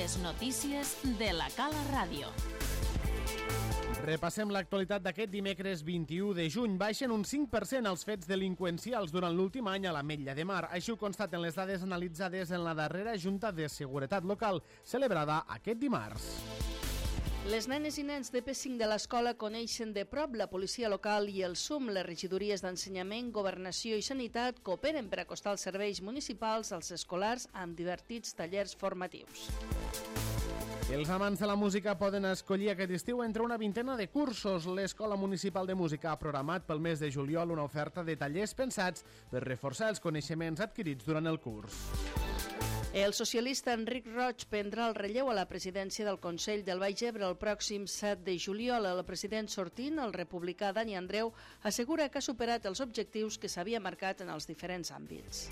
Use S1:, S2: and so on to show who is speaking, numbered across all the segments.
S1: Les notícies de la Cala Ràdio.
S2: Repassem l'actualitat d'aquest dimecres 21 de juny. Baixen un 5% els fets delinqüencials durant l'últim any a l'Ametlla de Mar. Així ho constaten les dades analitzades en la darrera Junta de Seguretat Local, celebrada aquest dimarts.
S3: Les nenes i nens de P5 de l'escola coneixen de prop la policia local i el SUM. Les regidories d'Ensenyament, Governació i Sanitat cooperen per acostar els serveis municipals als escolars amb divertits tallers formatius.
S2: Els amants de la música poden escollir aquest estiu entre una vintena de cursos. L'Escola Municipal de Música ha programat pel mes de juliol una oferta de tallers pensats per reforçar els coneixements adquirits durant el curs.
S3: El socialista Enric Roig prendrà el relleu a la presidència del Consell del Baix Ebre el pròxim 7 de juliol. El president sortint, el republicà Dani Andreu, assegura que ha superat els objectius que s'havia marcat en els diferents àmbits.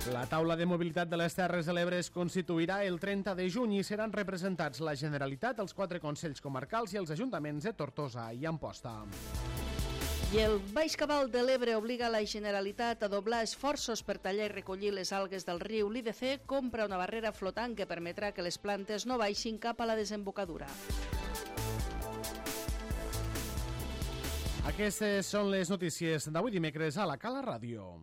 S2: La taula de mobilitat de les Terres de l'Ebre es constituirà el 30 de juny i seran representats la Generalitat, els 4 consells comarcals i els ajuntaments de Tortosa i Amposta.
S3: I el Baix Cabal de l'Ebre obliga la Generalitat a doblar esforços per tallar i recollir les algues del riu. L'IDC compra una barrera flotant que permetrà que les plantes no baixin cap a la desembocadura.
S2: Aquestes són les notícies d'avui dimecres a la Cala Ràdio.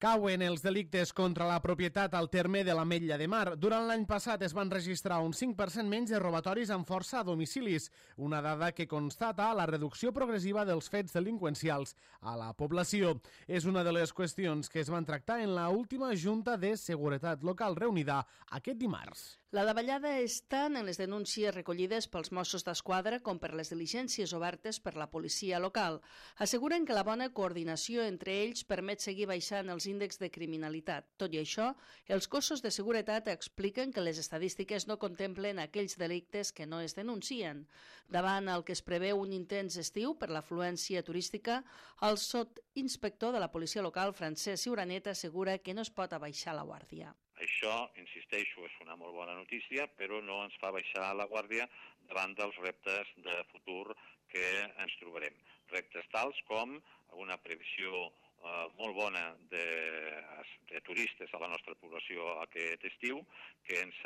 S2: Cauen els delictes contra la propietat al terme de l'Ametlla de Mar. Durant l'any passat es van registrar un 5% menys de robatoris amb força a domicilis, una dada que constata la reducció progressiva dels fets delinqüencials a la població. És una de les qüestions que es van tractar en la última Junta de Seguretat Local reunida aquest dimarts.
S3: La davallada és tant en les denúncies recollides pels Mossos d'Esquadra com per les diligències obertes per la policia local. Asseguren que la bona coordinació entre ells permet seguir baixant els índexs de criminalitat. Tot i això, els cossos de seguretat expliquen que les estadístiques no contemplen aquells delictes que no es denuncien. Davant el que es preveu un intens estiu per l'afluència turística, el sotsinspector de la policia local, Francesc Ciuranet, assegura que no es pot abaixar la guàrdia.
S4: Això, insisteixo, és una molt bona notícia, però no ens fa baixar la guàrdia davant dels reptes de futur que ens trobarem. Reptes tals com una previsió molt bona de turistes a la nostra població aquest estiu, que ens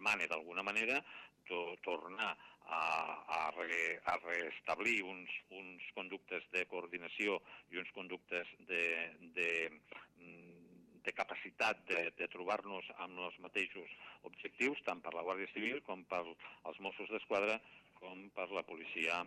S4: mana d'alguna manera tornar a restablir uns conductes de coordinació i uns conductes de capacitat de trobar-nos amb els mateixos objectius, tant per la Guàrdia Civil com per els Mossos d'Esquadra com per la policia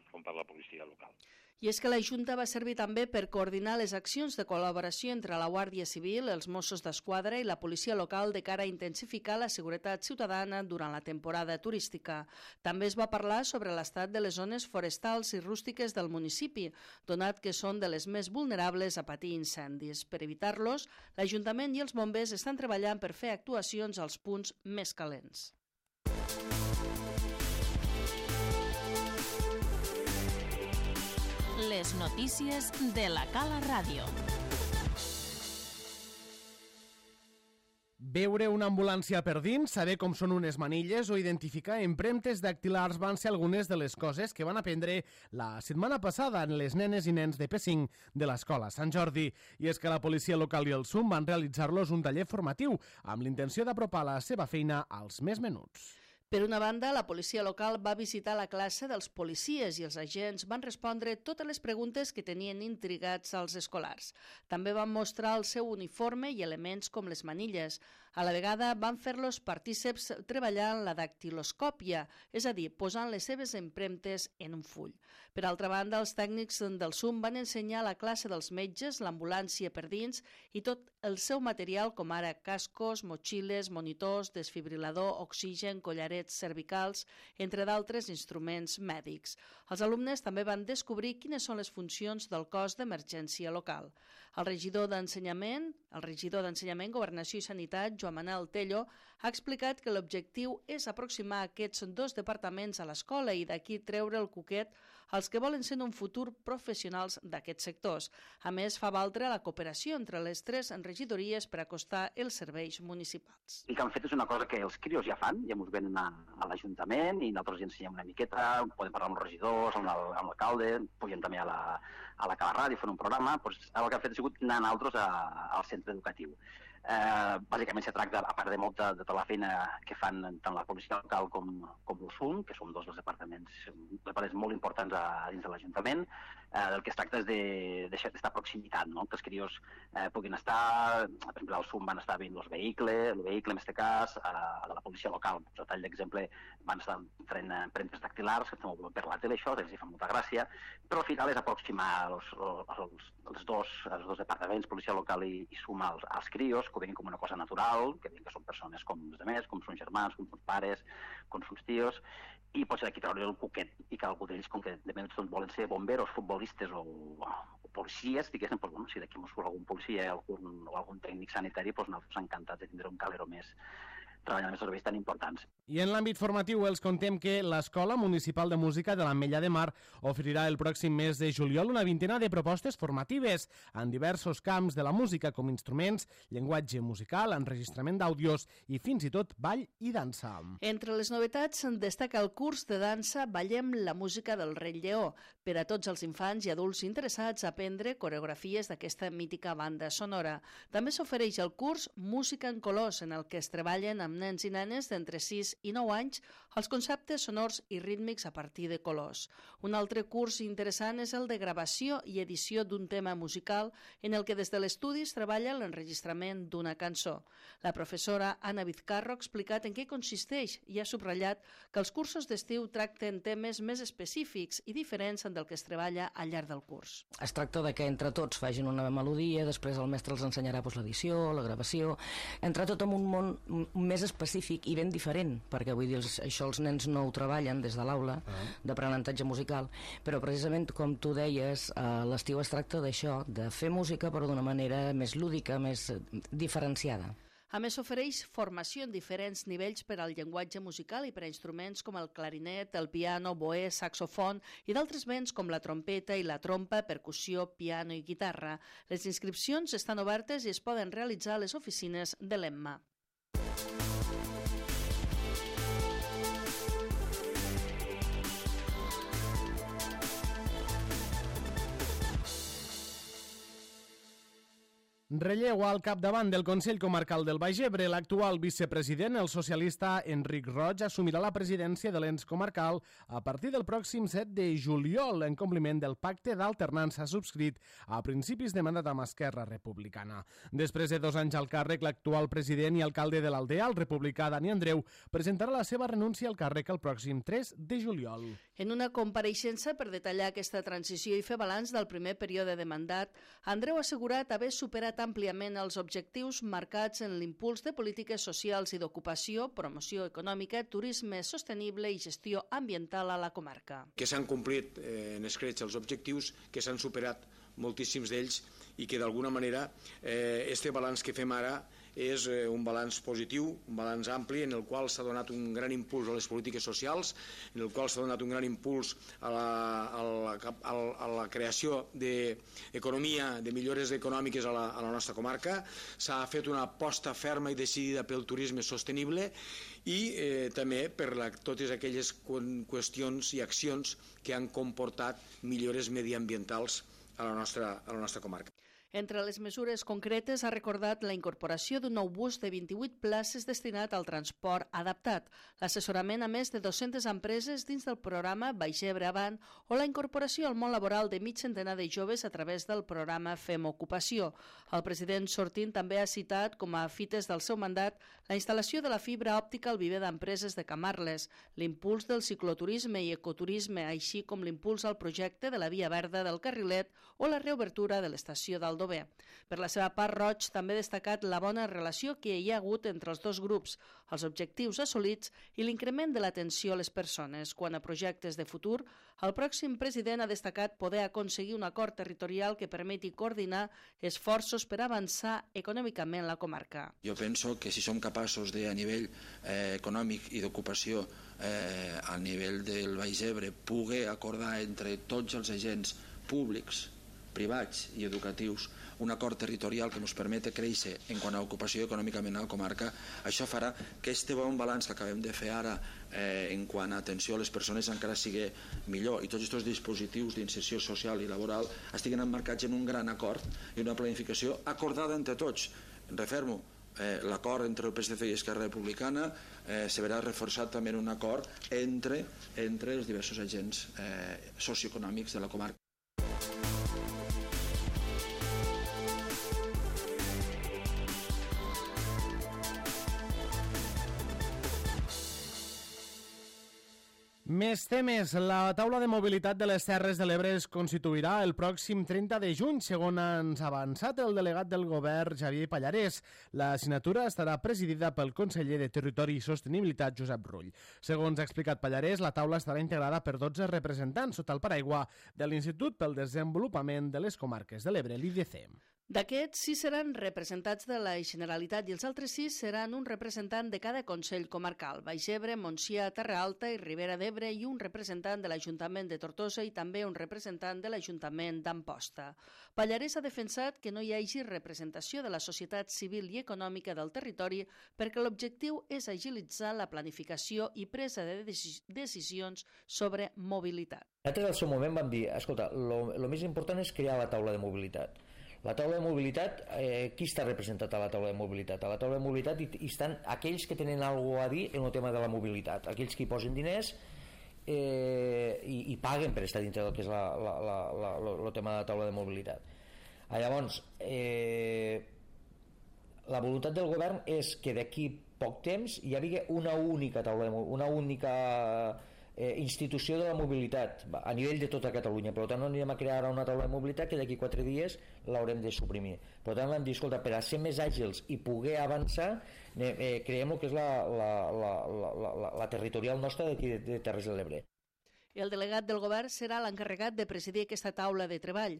S4: local.
S3: I és que la Junta va servir també per coordinar les accions de col·laboració entre la Guàrdia Civil, els Mossos d'Esquadra i la policia local de cara a intensificar la seguretat ciutadana durant la temporada turística. També es va parlar sobre l'estat de les zones forestals i rústiques del municipi, donat que són de les més vulnerables a patir incendis. Per evitar-los, l'Ajuntament i els bombers estan treballant per fer actuacions als punts més calents.
S1: Les notícies de la Cala Ràdio.
S2: Veure una ambulància per dins, saber com són unes manilles o identificar empremtes dactilars van ser algunes de les coses que van aprendre la setmana passada en les nenes i nens de P5 de l'Escola Sant Jordi. I és que la policia local i el SUM van realitzar-los un taller formatiu amb l'intenció d'apropar la seva feina als més menuts.
S3: Per una banda, la policia local va visitar la classe dels policies i els agents van respondre totes les preguntes que tenien intrigats als escolars. També van mostrar el seu uniforme i elements com les manilles. A la vegada van fer-los partíceps treballant la dactiloscòpia, és a dir, posant les seves empremtes en un full. Per altra banda, els tècnics del SUM van ensenyar a la classe dels metges l'ambulància per dins i tot el seu material com ara cascos, motxilles, monitors, desfibrilador, oxigen, collarets cervicals, entre d'altres instruments mèdics. Els alumnes també van descobrir quines són les funcions del cos d'emergència local. El regidor d'Ensenyament, Governació i Sanitat, Joan Manel Tello, ha explicat que l'objectiu és aproximar aquests dos departaments a l'escola i d'aquí treure el cuquet als que volen ser en un futur professionals d'aquests sectors. A més, fa valdre la cooperació entre les 3 regidories per acostar els serveis municipals.
S5: El que han fet és una cosa que els crios ja fan, ja ens venen a l'Ajuntament i nosaltres ja ensenyem una miqueta, podem parlar amb els regidors, amb l'alcalde, pugem també a la Cala Ràdio, fent un programa, doncs el que han fet ha sigut anar nosaltres al centre educatiu. Bàsicament se tracta, a part de molta de tota la feina que fan tant la policia local com l'USUM, que són dos dels departaments molt importants dins de l'Ajuntament, del que es tracta és d'esta proximitat, no? Que els crios puguin estar, per exemple, al SUM van estar veient el vehicle en aquest cas, a la policia local, per tall d'exemple, van estar fent empremtes dactilars, que estem per la tele, això, els fa molta gràcia, però al final és aproximar els dos departaments, policia local i SUM, als crios, que ho veuen com una cosa natural, que veuen que són persones com els altres, com són germans, com són pares, com són tios, i potser d'aquí treure el cuquet i que algú d'ells, com que de més volen ser bomberos, futbolistes o policies, diguéssim, doncs, si d'aquí ens surt algun policia o algun tècnic sanitari, doncs nosaltres encantats de tindre un calero més treballant en serveis tan importants.
S2: I en l'àmbit formatiu els contem que l'Escola Municipal de Música de l'Ametlla de Mar oferirà el pròxim mes de juliol una vintena de propostes formatives en diversos camps de la música, com instruments, llenguatge musical, enregistrament d'àudios i fins i tot ball i dansa.
S3: Entre les novetats destaca el curs de dansa Ballem la música del Rei Lleó, per a tots els infants i adults interessats a aprendre coreografies d'aquesta mítica banda sonora. També s'ofereix el curs Música en colors, en el que es treballen amb nens i nenes d'entre 6 i 9 anys els conceptes sonors i rítmics a partir de colors. Un altre curs interessant és el de gravació i edició d'un tema musical en el que des de l'estudi es treballa l'enregistrament d'una cançó. La professora Anna Vizcarro ha explicat en què consisteix i ha subratllat que els cursos d'estiu tracten temes més específics i diferents del que es treballa al llarg del curs.
S6: Es tracta de que entre tots facin una melodia, després el mestre els ensenyarà l'edició, la gravació, entre tot en un món més específic i ben diferent, perquè vull dir, això els nens no ho treballen des de l'aula d'aprenentatge musical, però precisament com tu deies, l'estiu es tracta d'això, de fer música però d'una manera més lúdica, més diferenciada.
S3: A més, s'ofereix formació en diferents nivells per al llenguatge musical i per a instruments com el clarinet, el piano, boè, saxofon i d'altres vents com la trompeta i la trompa, percussió, piano i guitarra. Les inscripcions estan obertes i es poden realitzar a les oficines de l'EMMA.
S2: Relleu al capdavant del Consell Comarcal del Baix Ebre. L'actual vicepresident, el socialista Enric Roig, assumirà la presidència de l'ens comarcal a partir del pròxim 7 de juliol, en compliment del pacte d'alternança subscrit a principis de mandat amb Esquerra Republicana. Després de 2 anys al càrrec, l'actual president i alcalde de l'Aldea, el republicà Dani Andreu, presentarà la seva renúncia al càrrec el pròxim 3 de juliol.
S3: En una compareixença per detallar aquesta transició i fer balanç del primer període de mandat, Andreu ha assegurat haver superat àmpliament els objectius marcats en l'impuls de polítiques socials i d'ocupació, promoció econòmica, turisme sostenible i gestió ambiental a la comarca.
S7: Que s'han complit en escreix els objectius, que s'han superat moltíssims d'ells i que d'alguna manera este balanç que fem ara és un balanç positiu, un balanç ampli en el qual s'ha donat un gran impuls a les polítiques socials, en el qual s'ha donat un gran impuls a la creació d'economia, de millores econòmiques a la nostra comarca. S'ha fet una aposta ferma i decidida pel turisme sostenible i també per totes aquelles qüestions i accions que han comportat millores mediambientals a la nostra comarca.
S3: Entre les mesures concretes ha recordat la incorporació d'un nou bus de 28 places destinat al transport adaptat, l'assessorament a més de 200 empreses dins del programa Baix Ebre Avant o la incorporació al món laboral de mig centenar de joves a través del programa Fem Ocupació. El president sortint també ha citat com a fites del seu mandat la instal·lació de la fibra òptica al viver d'empreses de Camarles, l'impuls del cicloturisme i ecoturisme, així com l'impuls al projecte de la Via Verda del Carrilet o la reobertura de l'estació del Aldover. Per la seva part, Roig també ha destacat la bona relació que hi ha hagut entre els dos grups, els objectius assolits i l'increment de l'atenció a les persones. Quant a projectes de futur, el pròxim president ha destacat poder aconseguir un acord territorial que permeti coordinar esforços per avançar econòmicament la comarca.
S8: Jo penso que si som capaços de, a nivell econòmic i d'ocupació, a nivell del Baix Ebre, poder acordar entre tots els agents públics, privats i educatius un acord territorial que ens permeti créixer en quant a ocupació econòmicament a la comarca, això farà que este bon balanç que acabem de fer ara en quant a atenció a les persones encara sigui millor i tots aquests dispositius d'inserció social i laboral estiguen emmarcats en un gran acord i una planificació acordada entre tots. Refermo, l'acord entre el PSC i Esquerra Republicana se verà reforçat també en un acord entre els diversos agents socioeconòmics de la comarca.
S2: Més temes. La taula de mobilitat de les Terres de l'Ebre es constituirà el pròxim 30 de juny, segons ens ha avançat el delegat del govern, Xavier Pallarès. La signatura estarà presidida pel conseller de Territori i Sostenibilitat, Josep Rull. Segons ha explicat Pallarès, la taula estarà integrada per 12 representants sota el paraigua de l'Institut pel Desenvolupament de les Comarques de l'Ebre, l'IDC.
S3: D'aquests, 6 seran representats de la Generalitat i els altres 6 seran un representant de cada Consell Comarcal, Baix Ebre, Montsià, Terra Alta i Ribera d'Ebre i un representant de l'Ajuntament de Tortosa i també un representant de l'Ajuntament d'Amposta. Pallarès ha defensat que no hi hagi representació de la societat civil i econòmica del territori perquè l'objectiu és agilitzar la planificació i presa de decisions sobre mobilitat.
S9: Nosaltres al seu moment vam dir, escolta, el més important és crear la taula de mobilitat. La taula de mobilitat, qui està representat a la taula de mobilitat? A la taula de mobilitat hi estan aquells que tenen alguna cosa a dir en el tema de la mobilitat, aquells que hi posen diners i paguen per estar dintre del que és el tema de la taula de mobilitat. Llavors, la voluntat del govern és que d'aquí poc temps hi hagi una única taula, una única institució de la mobilitat a nivell de tota Catalunya. Per tant, no anirem a crear una taula de mobilitat que d'aquí 4 dies l'haurem de suprimir. Per tant, vam dir, escolta, per a ser més àgils i poder avançar, creem el que és la territorial nostra d'aquí de Terres de l'Ebre.
S3: El delegat del govern serà l'encarregat de presidir aquesta taula de treball.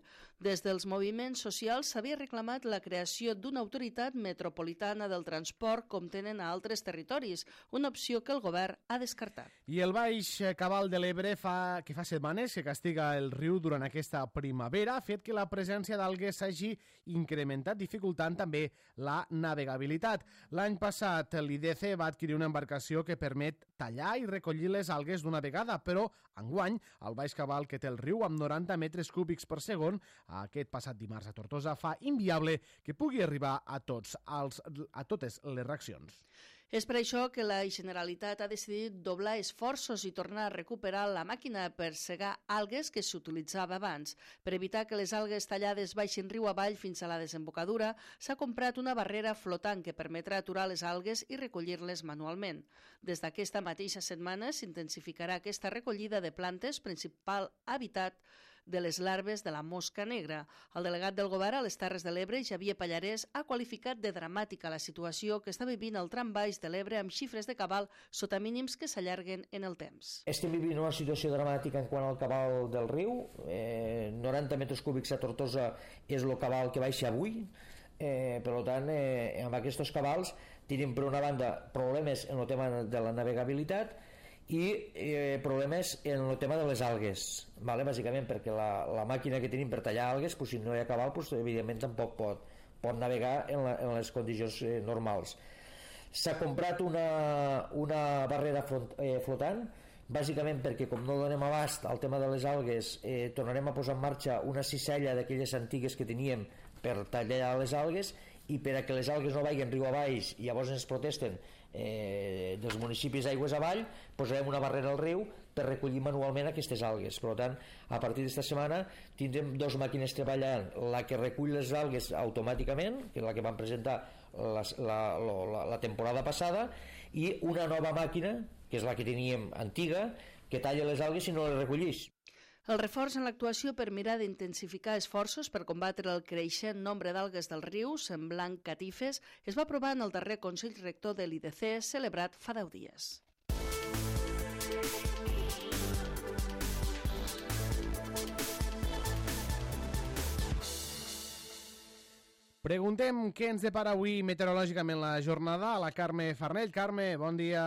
S3: Des dels moviments socials s'havia reclamat la creació d'una autoritat metropolitana del transport com tenen a altres territoris, una opció que el govern ha descartat.
S2: I el Baix Cabal de l'Ebre fa setmanes que castiga el riu durant aquesta primavera, ha fet que la presència d'algues s'hagi incrementat, dificultant també la navegabilitat. L'any passat l'IDC va adquirir una embarcació que permet tallar i recollir les algues d'una vegada, però enguany, el Baix Cabal, que té el riu amb 90 metres cúbics per segon, aquest passat dimarts a Tortosa, fa inviable que pugui arribar a totes les reaccions.
S3: És per això que la Generalitat ha decidit doblar esforços i tornar a recuperar la màquina per segar algues que s'utilitzava abans. Per evitar que les algues tallades baixin riu avall fins a la desembocadura, s'ha comprat una barrera flotant que permetrà aturar les algues i recollir-les manualment. Des d'aquesta mateixa setmana s'intensificarà aquesta recollida de plantes, principal hàbitat de les larves de la mosca negra. El delegat del govern a les Terres de l'Ebre, Xavier Pallarès, ha qualificat de dramàtica la situació que està vivint el tram baix de l'Ebre amb xifres de cabal sota mínims que s'allarguen en el temps.
S9: Estem vivint una situació dramàtica en quant al cabal del riu. 90 metres cúbics a Tortosa és el cabal que baixa avui. Per tant, amb aquests cabals tenim per una banda problemes en el tema de la navegabilitat i problemes en el tema de les algues, bàsicament perquè la màquina que tenim per tallar algues, si no hi ha cabal, evidentment tampoc pot navegar en les condicions normals. S'ha comprat una barrera flotant, bàsicament perquè com no donem abast al tema de les algues, tornarem a posar en marxa una cissella d'aquelles antigues que teníem per tallar les algues, i per a que les algues no vagin riu avall i llavors ens protesten dels municipis aigües avall, posarem una barrera al riu per recollir manualment aquestes algues. Per tant, a partir d'esta setmana tindrem 2 màquines treballant, la que recull les algues automàticament, que és la que vam presentar la temporada passada, i una nova màquina, que és la que teníem antiga, que talla les algues i no les recollís.
S3: El reforç en l'actuació per mirar d'intensificar esforços per combatre el creixent nombre d'algues del riu, semblant catifes, es va aprovar en el darrer Consell Rector de l'IDC, celebrat fa 10 dies.
S2: Preguntem què ens depara avui meteorològicament la jornada a la Carme Farnell. Carme, bon dia.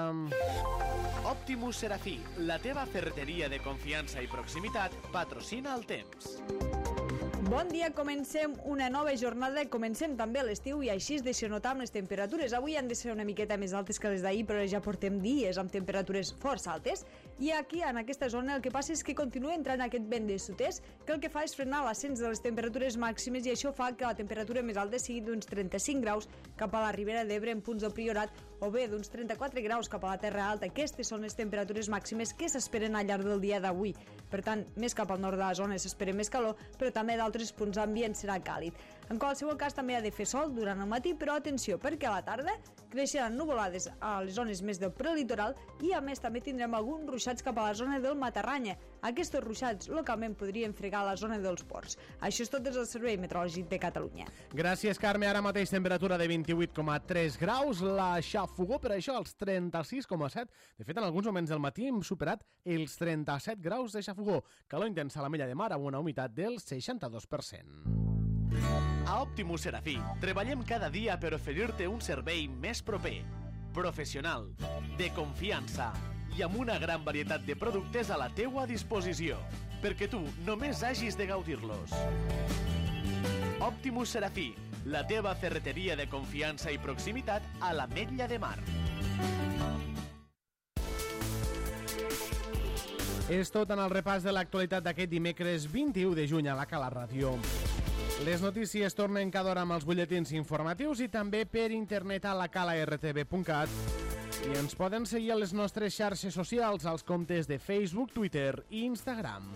S10: Optimus Serafí, la teva ferreteria de confiança i proximitat, patrocina el temps.
S11: Bon dia, comencem una nova jornada, comencem també l'estiu i així es deixa notar amb les temperatures. Avui han de ser una miqueta més altes que les d'ahir, però ja portem dies amb temperatures força altes. I aquí, en aquesta zona, el que passa és que continua entrant aquest vent de sud-est, que el que fa és frenar l'ascens de les temperatures màximes i això fa que la temperatura més alta sigui d'uns 35 graus cap a la Ribera d'Ebre en punts del Priorat o bé d'uns 34 graus cap a la Terra Alta. Aquestes són les temperatures màximes que s'esperen al llarg del dia d'avui. Per tant, més cap al nord de la zona s'espera més calor, però també d'altres punts d'ambient serà càlid. En qualsevol cas també ha de fer sol durant el matí, però atenció, perquè a la tarda creixeran nuvolades a les zones més del prelitoral i a més també tindrem alguns ruixats cap a la zona del Matarranya. Aquests ruixats localment podrien fregar la zona dels ports. Això és tot des del Servei Meteorològic de Catalunya.
S2: Gràcies, Carme. Ara mateix temperatura de 28,3 graus. La xafogó, per això, als 36,7. De fet, en alguns moments del matí hem superat els 37 graus de xafogó. Calor intensa a la Mella de Mar amb una humitat del 62%.
S10: A Optimus Serafí, treballem cada dia per oferir-te un servei més proper, professional, de confiança i amb una gran varietat de productes a la teua disposició, perquè tu només hagis de gaudir-los. Optimus Serafí, la teva ferreteria de confiança i proximitat a l'Ametlla de Mar.
S2: És tot en el repàs de l'actualitat d'aquest dimecres 21 de juny a la Cala Ràdio. Les notícies tornen cada hora amb els butlletins informatius i també per internet a lacalartv.cat. I ens poden seguir a les nostres xarxes socials, als comptes de Facebook, Twitter i Instagram.